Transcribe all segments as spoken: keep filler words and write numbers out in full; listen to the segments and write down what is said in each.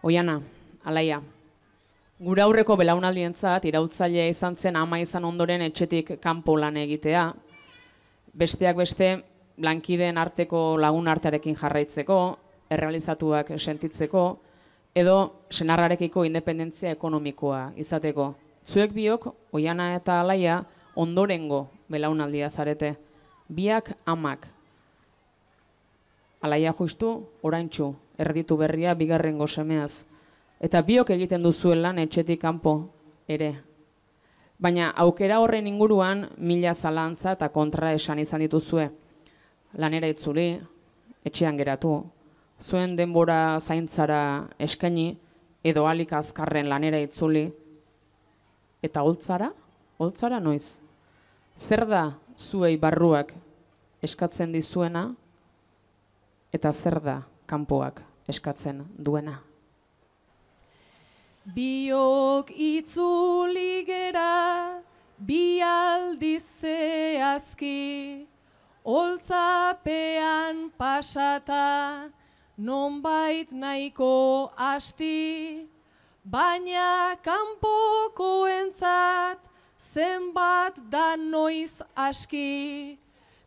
Oiana, Alaia, gure aurreko belaunaldientzat iraultzailea izan zen ama izan ondoren etxetik kanpo lan egitea, besteak beste lankideen arteko lagun artearekin jarraitzeko, errealizatuak sentitzeko, edo senarrarekiko independentzia ekonomikoa izateko. Zuek biok, Oiana eta Alaia, ondorengo belaunaldia zarete. Biak amak. Alaia justu, oraintsu, erditu berria bigarrengo semeaz. Eta biok egiten duzuen lan etxetik kanpo ere. Baina aukera horren inguruan mila zalantza eta kontra esan izan dituzue. Lanera itzuli, etxean geratu, zuen denbora zaintzara eskaini, edo alik azkarren lanera itzuli. Eta holtzara? Holtzara noiz? Zer da zuei barruak eskatzen dizuena, eta zer da kanpoak eskatzen duena? Biok itzuli gera, bi aldiz zehazki, holtzapean pasata, nonbait nahiko asti, baina kanpokoentzat zenbat da noiz aski,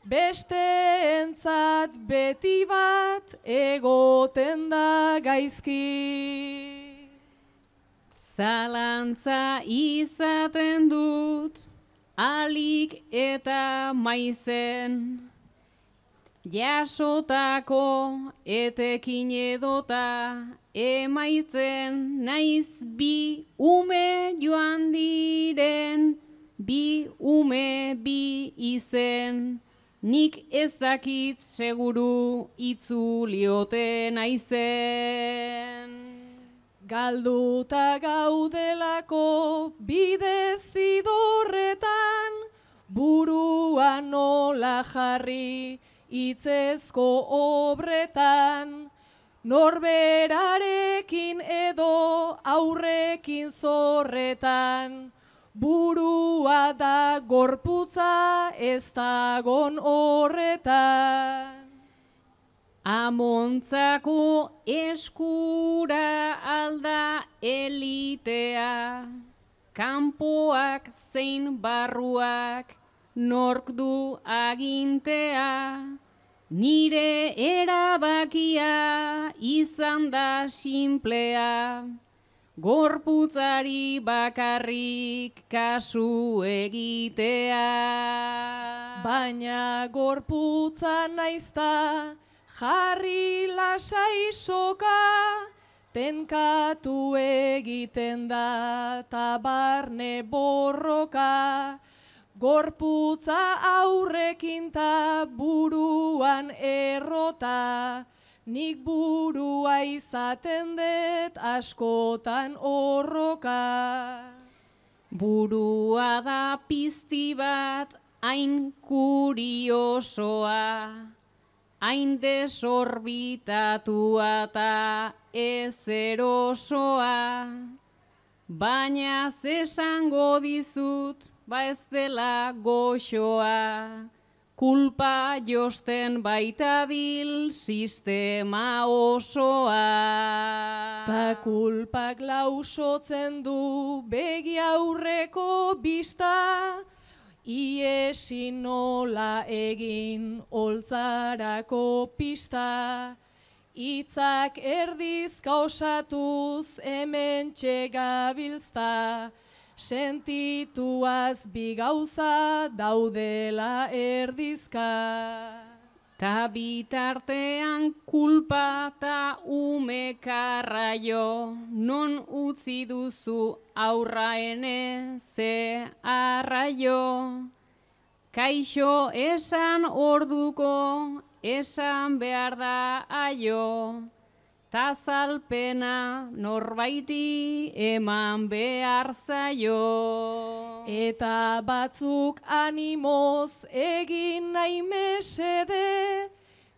besteentzat beti bat egoten da gaizki. Zalantza izaten dut, alik eta maizen, jasotako etekin edota emaitzen, naiz bi ume joan diren, bi ume bi izen, nik ez dakit seguru itzuliote naizen. Galduta gaudelako bide zidorretan, burua nola jarri hitzezko obretan, norberarekin edo aurrekin zorretan, burua da gorputza ez dagon horretan. Amontzako eskura alda elitea, kanpoak zein barruak nork du agintea, nire erabakia izan da sinplea, gorputzari bakarrik kasu egitea. Baina gorputza naizta, jarri lasai soka, tenkatu egiten da tabarne borroka, gorputza aurrekin ta buruan errota, nik burua izaten dut askotan horroka. Burua da pizti bat hain kuriosoa, hain desorbitatua eta ez erosoa, baina zesango dizut, ba ez dela goxoa, kulpa josten baitabil sistema osoa. Ta kulpak lausotzen du begi aurreko bista, iesi nola egin holtzarako pista, hitzak erdizka osatuz hemen txegabilzta, sentituaz bi gauza daudela erdizka. Ta bitartean kulpa ta ume karraio, non utzi duzu aurraene ze arraio. Kaixo esan orduko, esan behar da aio, ta zalpena norbaiti eman behar zaio. Eta batzuk animoz egin nahi mesede,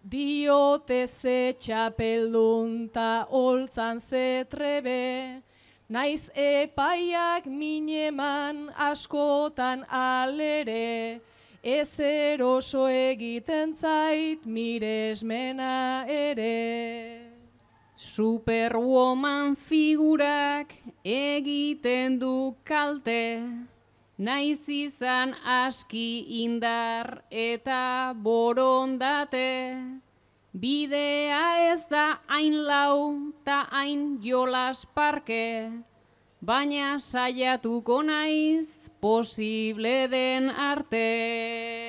diote ze txapeldun ta holtzan ze trebe, naiz epaiak mineman askotan alere, ez eroso egiten zait miresmena ere. Superwoman figurak egiten du kalte, naiz izan aski indar eta borondate. Bidea ez da hain lau ta hain jolas parke, baina saiatuko naiz posible den arte.